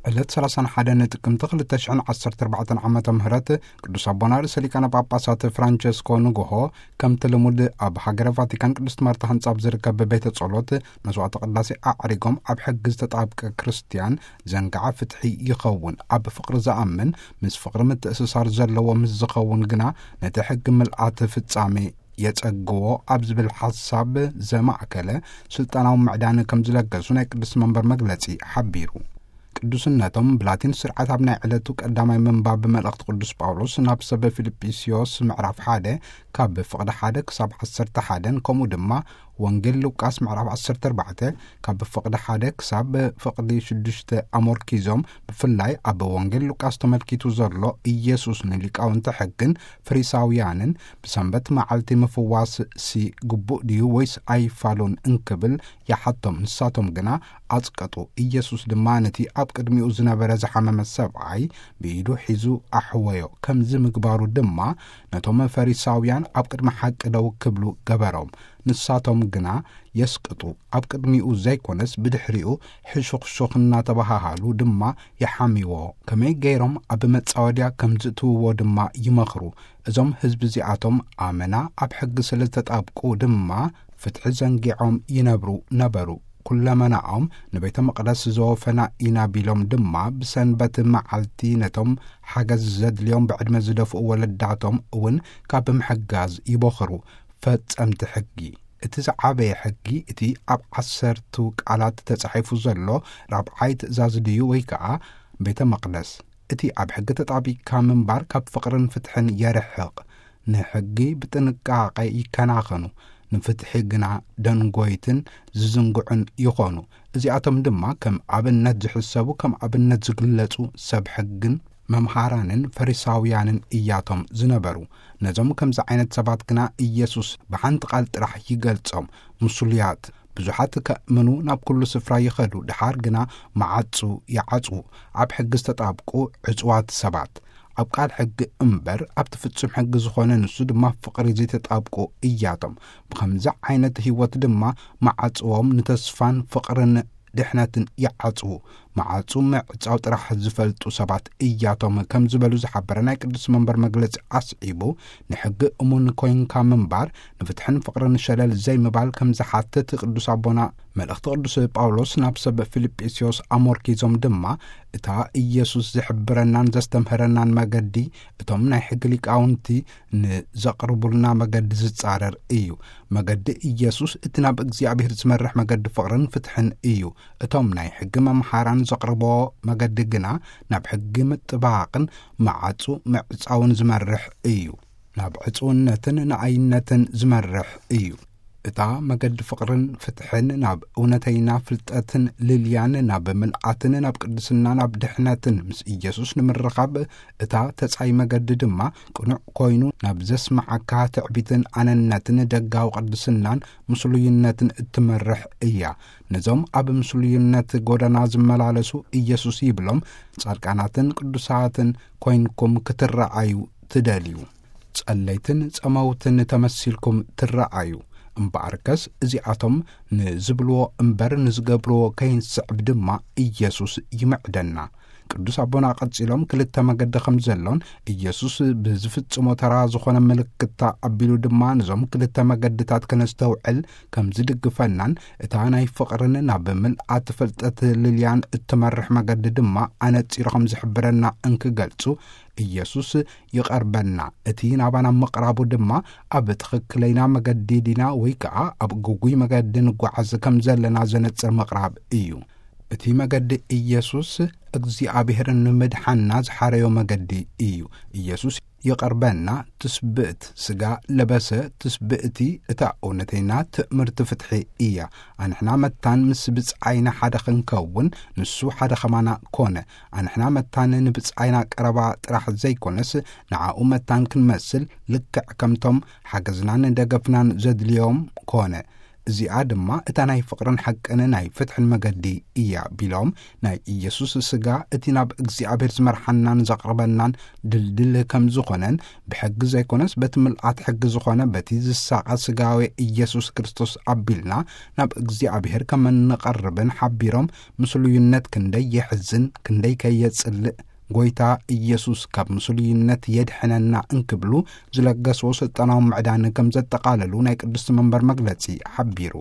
ዕለት ሰላሳን ሓደን ጥቅምቲ ክልተ ሽሕን ዓሰርተ ኣርባዕተን ዓመተ ምህረት ቅዱስ ኣቦና ርእሰ ሊቃነ ጳጳሳት ፍራንቸስኮ ንግሆ፣ ከምቲ ልሙድ ኣብ ሃገረ ቫቲካን ቅድስት ማርታ ህንጻ ኣብ ዝርከብ ቤተ ጸሎት መስዋዕተ ቅዳሴ ኣዕሪጎም፣ ኣብ ሕጊ ዝተጣብቀ ክርስትያን ዘንጋዓ ፍትሒ ይኸውን። ኣብ ፍቕሪ ዝኣምን፣ ምስ ፍቕሪ ምትእስሳር ዘለዎ ምስ ዝኸውን ግና፣ ነቲ ሕጊ ምልኣት ፍጻሜ የጸግዎ ኣብ ዝብል ሓሳብ ዘማእከለ ስልጣናዊ ምዕዳን ከም ዝለገሱ ናይ ቅዱስ መንበር መግለጺ ሓቢሩ። ቅዱስነቶም ብላቲን ስርዓት ኣብ ናይ ዕለቱ ቀዳማይ ምንባብ መልእኽቲ ቅዱስ ጳውሎስ ናብ ሰብ ፊልጵስዮስ ምዕራፍ ሓደ ካብ ፍቕዲ ሓደ ክሳብ ዓሰርተ ሓደን ከምኡ ድማ ወንጌል ሉቃስ ምዕራፍ ዓሰርተ ኣርባዕተ ካብ ፍቕዲ ሓደ ክሳብ ፍቕዲ ሽዱሽተ ኣሞርኪዞም፣ ብፍላይ ኣብ ወንጌል ሉቃስ ተመልኪቱ ዘሎ ኢየሱስ ንሊቃውንቲ ሕግን ፈሪሳውያንን ብሰንበት መዓልቲ ምፍዋስ ሲ ግቡእ ድዩ ወይስ ኣይፋሉን እንክብል ይሓቶም። ንሳቶም ግና ኣጽቀጡ። ኢየሱስ ድማ ነቲ ኣብ ቅድሚኡ ዝነበረ ዝሓመመ ሰብኣይ ብኢዱ ሒዙ ኣሕወዮ። ከምዚ ምግባሩ ድማ ነቶም ፈሪሳውያን ኣብ ቅድሚ ሓቂ ደው ክብሉ ገበሮም። ንሳቶም ግና የስቅጡ። ኣብ ቅድሚኡ ዘይኮነስ ብድሕሪኡ ሕሹኽሹኽ እናተባሃሃሉ ድማ ይሓምይዎ። ከመይ ገይሮም ኣብ መጻወድያ ከም ዝእትውዎ ድማ ይመኽሩ። እዞም ህዝቢ እዚኣቶም ኣመና ኣብ ሕጊ ስለ ዝተጣብቁ ድማ ፍትሒ ዘንጊዖም ይነብሩ ነበሩ። ኩለመናኦም ንቤተ መቕደስ ዘወፈና ኢና ቢሎም ድማ ብሰንበት መዓልቲ ነቶም ሓገዝ ዘድልዮም ብዕድመ ዝደፍኡ ወለዳቶም እውን ካብ ምሕጋዝ ይቦኽሩ። ፈጸምቲ ሕጊ። እቲ ዝዓበየ ሕጊ እቲ ኣብ ዓሰርቱ ቃላት ተጻሒፉ ዘሎ ራብዓይ ትእዛዝ ድዩ ወይ ከኣ ቤተ መቕደስ? እቲ ኣብ ሕጊ ተጣቢቅካ ምንባር ካብ ፍቕርን ፍትሕን የርሕቕ። ንሕጊ ብጥንቃቐ ይከናኸኑ፣ ንፍትሒ ግና ደንጎይትን ዝዝንግዑን ይኾኑ። እዚኣቶም ድማ ከም ኣብነት ዝሕሰቡ፣ ከም ኣብነት ዝግለጹ ሰብ ሕግን መምሃራንን ፈሪሳውያንን እያቶም ዝነበሩ። ነዞም ከምዚ ዓይነት ሰባት ግና ኢየሱስ ብሓንቲ ቃል ጥራሕ ይገልጾም፣ ምስሉያት። ብዙሓት ከእምኑ ናብ ኩሉ ስፍራ ይኸዱ፣ ድሓር ግና መዓጹ ይዓጽዉ። ኣብ ሕጊ ዝተጣብቁ ዕጹዋት ሰባት። ኣብ ቃል ሕጊ እምበር ኣብቲ ፍጹም ሕጊ ዝኾነ ንሱ ድማ ፍቕሪ ዘይተጣብቁ እያቶም። ብኸምዚ ዓይነት ህይወት ድማ መዓጽዎም ንተስፋን ፍቕርን ድሕነትን ይዓጽዉ። መዓጹ ምዕጻው ጥራሕ ዝፈልጡ ሰባት እያቶም ከም ዝበሉ ዝሓበረ ናይ ቅዱስ መንበር መግለጺ ኣስዒቡ፣ ንሕጊ እሙን ኮይንካ ምንባር ንፍትሕን ፍቕርን ሸለል ዘይምባል ከም ዝሓትት ቅዱስ ኣቦና መልእኽቲ ቅዱስ ጳውሎስ ናብ ሰብ ፊልጵስዮስ ኣሞርኪዞም ድማ፣ እታ ኢየሱስ ዝሕብረናን ዘስተምህረናን መገዲ እቶም ናይ ሕጊ ሊቃውንቲ ንዘቕርቡልና መገዲ ዝጻረር እዩ። መገዲ ኢየሱስ እቲ ናብ እግዚኣብሔር ዝመርሕ መገዲ ፍቕርን ፍትሕን እዩ። እቶም ናይ ሕጊ መምሃራን ዘቕርቦ መገዲ ግና ናብ ሕጊ ምጥባቕን መዓጹ ምዕጻውን ዝመርሕ እዩ። ናብ ዕጹውነትን ንኣይነትን ዝመርሕ እዩ። እታ መገዲ ፍቕርን ፍትሕን ናብ እውነተይና ፍልጠትን ልልያን ናብ ምልኣትን ናብ ቅድስና ናብ ድሕነትን ምስ ኢየሱስ ንምርኻብ እታ ተጻይ መገዲ ድማ ቅኑዕ ኮይኑ ናብ ዘስምዓካ ትዕቢትን ኣነነትን ደጋዊ ቅድስናን ምስሉይነትን እትመርሕ እያ። ነዞም ኣብ ምስሉይነት ጎደና ዝመላለሱ ኢየሱስ ይብሎም ጻድቃናትን ቅዱሳትን ኮይንኩም ክትረኣዩ ትደልዩ። ጸለይትን ጸመውትን ተመሲልኩም ትረኣዩ። እምበኣርከስ እዚኣቶም ንዝብልዎ እምበር ንዝገብርዎ ከይንስዕብ ድማ ኢየሱስ ይምዕደና። ቅዱስ ኣቦና ቀጺሎም ክልተ መገዲ ከም ዘሎን ኢየሱስ ብዝፍጽሞ ተራ ዝኾነ ምልክታ ኣቢሉ ድማ ነዞም ክልተ መገድታት ከነስተውዕል ከም ዝድግፈናን እታ ናይ ፍቕርን ናብ ምልኣት ፍልጠት ልልያን እትመርሕ መገዲ ድማ ኣነጺሩ ከም ዝሕብረና እንክገልጹ ኢየሱስ ይቐርበና። እቲ ናባና ምቕራቡ ድማ ኣብ ትኽክለይና መገዲ ዲና ወይ ከኣ ኣብ ግጉይ መገዲ ንጓዓዝ ከም ዘለና ዘነጽር ምቕራብ እዩ። እቲ መገዲ ኢየሱስ እግዚኣብሔር ንምድሓና ዝሓረዮ መገዲ እዩ። ኢየሱስ ይቐርበና። ትስብእት ስጋ ለበሰ ትስብእቲ እታ እውነተይና ትእምርቲ ፍትሒ እያ። ኣንሕና መታን ምስ ብጻይና ሓደ ክንከውን ንሱ ሓደ ኸማና ኮነ። ኣንሕና መታን ንብጻይና ቀረባ ጥራሕ ዘይኮነስ ንዓኡ መታን ክንመስል ልክዕ ከምቶም ሓገዝናን ደገፍናን ዘድልዮም ኮነ። እዚኣ ድማ እታ ናይ ፍቕርን ሓቅን ናይ ፍትሕን መገዲ እያ ቢሎም፣ ናይ ኢየሱስ ስጋ እቲ ናብ እግዚኣብሔር ዝመርሓናን ዘቕርበናን ድልድል ከም ዝኾነን፣ ብሕጊ ዘይኮነስ በቲ ምልኣት ሕጊ ዝኾነ በቲ ዝሳቐ ስጋዊ ኢየሱስ ክርስቶስ ኣቢልና ናብ እግዚኣብሔር ከም እንቐርብን ሓቢሮም፣ ምስሉይነት ክንደይ የሕዝን ክንደይ ከየጽልእ፣ ጎይታ ኢየሱስ ካብ ምስሉይነት የድሕነና እንክብሉ ዝለገስዎ ስልጣናዊ ምዕዳን ከም ዘጠቓለሉ ናይ ቅድስቲ መንበር መግለጺ ሓቢሩ።